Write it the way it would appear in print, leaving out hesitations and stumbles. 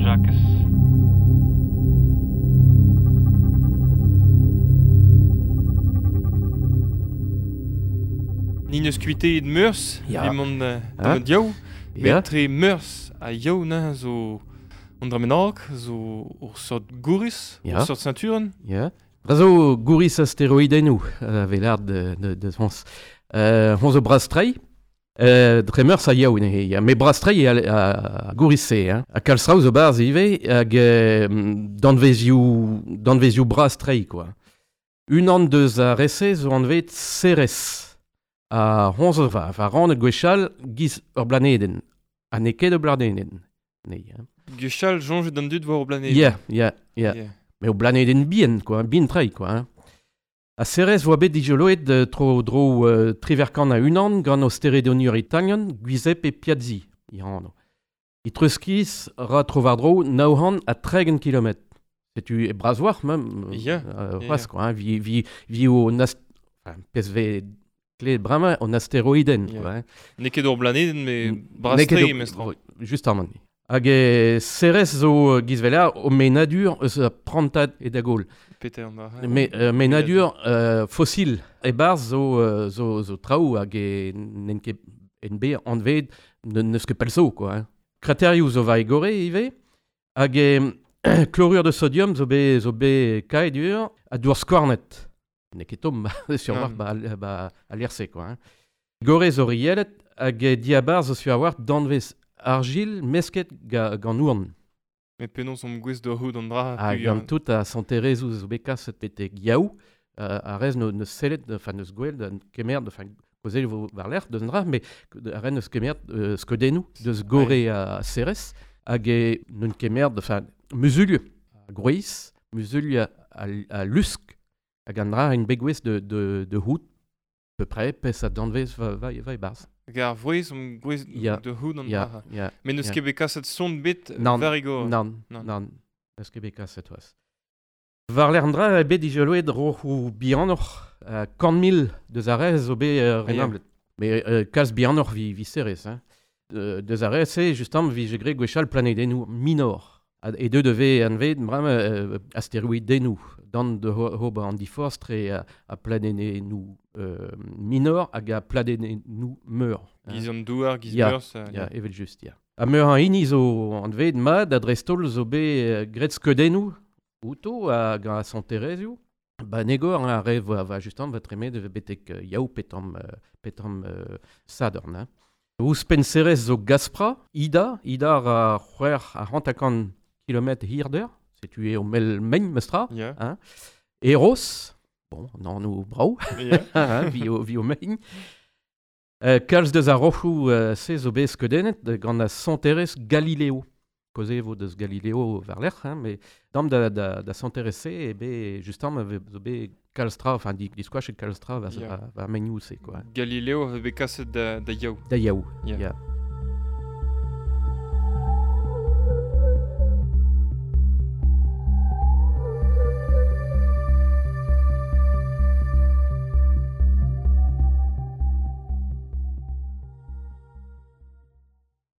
Jakez. Ni neus kuiteet Meurzh, Ya. evit mont Hein? da diaou. Ya. Met tre Meurzh ha yaou neuze zo an dra bennak, zo ur sort gouriz, Ya. ur sort ceinturenn. Ya. Dra zo gouriz asteroidennoù a vez lâret de Frañs. Hon zo bras-tre, dre Meurzh ha yaou neuze, ya. Met bras-tre eo a gouriz-se, hein. Ha kalz traoù zo barzh ivez hag danvezioù bras-tre, quoi. Unan deus ar re-se zo anvet Ceres. Ha hon zo va rannet gwechall giz ur blanedenn. Ha n'eo ket ur blanedenn. Nee, hein. Gwechall soñjet d'an dud war ur blanedenn. Ya, ya, ya. Ya. Mais o blanedenn bihan, quoi, bihan-tre, quoi. Hein. Ha Ceres voa bet dijoloet tro dro triverkan a unan gant o steredoniour italian Giuseppe Piazzi, i anv. I treuskiz ra tro war dro 900 ha 30 kilometr. Setu e bras war, même. Ya, ya, c'hoazh, ya. quoi, hein, vi o enfin, pezh vez klevet bremañ an asteroidenn, Ya. quoi, hein. N'eo ket ur blanedenn, met N'eo bras-tre ket mestra. Justamant. Hag e Ceres zo gizvela o menadur eus a prantad e da gaol. Peter an dra. Me, menadur fossil. E barz zo traoù hag e n'en ket en be anved n'eus ket pell zo, quoi. Hein. Kraterioù zo war e gore ivez. Hag e chlorure de sodium zo be kaedur ha dour skouarnet. N'eo ket tomm, sur war Nann. ba a lec'h-se, quoi. Hein. Gore zo rielet hag e diabarzh zo sur a war danvez argil mesket gant ourn. Met penaos omp gouest da c'hout an dra. Ha puis, gant tout a santerezou zo bet kaset betek yaou, a rez neus sellet, enfin neus gwell, da kemer, enfin kozel vo war lerc'h deus an dra, mais a rez neus kemer skeudennoù deus gore a Ceres, hag e neun kemer, enfin muzulieu a groiz, muzulieu a lusk, hag an dra en bet gouest de hout, peu près, pes a danvez va e barz. Hag ar vouez omp gouest Ya. da c'hout an Ya, dra. ya. Met n'eus Ya. ket bet kaset son bet Nann, war e gore. Nann, Nann. nann, n'eus ket bet kaset c'hoazh. War lec'h an dra eo bet dijoloet roc'hoù bihanoc'h, 100 000 deus ar rez zo bet renablet. Mais kalz bihanoc'h vi Ceres, hein. Deus ar rez-se, justement, vi je gre gwechall planedennoù minor. Ha, e deu deve anvet bremañ asteroidennoù, dan de hob an diforz tre a planedennoù minor hag a planedennoù meur. Hein. Giz an douar, giz Ya, Meurzh. Ya, evel just, ya. Ha meur an hini zo anvet mat a dreist-holl zo bet graet skeudennoù outo hag a santerezioù. Ba negor hein, ar re va justement va tremet betek yaou petam Sadorn. Hein. Ouzhpenn Ceres zo Gaspra, Ida, Ida a c'hwec'h a hanter-kant kilometr hirder, setu eo mel megn mestra. Ya. Eros, bon, an anv brav, Ya. hein, vi o megn. Kalz deus ar roc'hoù se zo bet skeudennet gant a santerez Galileo. Koze vo deus Galileo war lerc'h, hein, mais dam da santerez se e bet justement zo bet kalz tra, enfin diskoach e kalz tra Ya. va megnoù se, quoi. Galileo avait bet kaset da yaou. Da yaou, Ya. ya.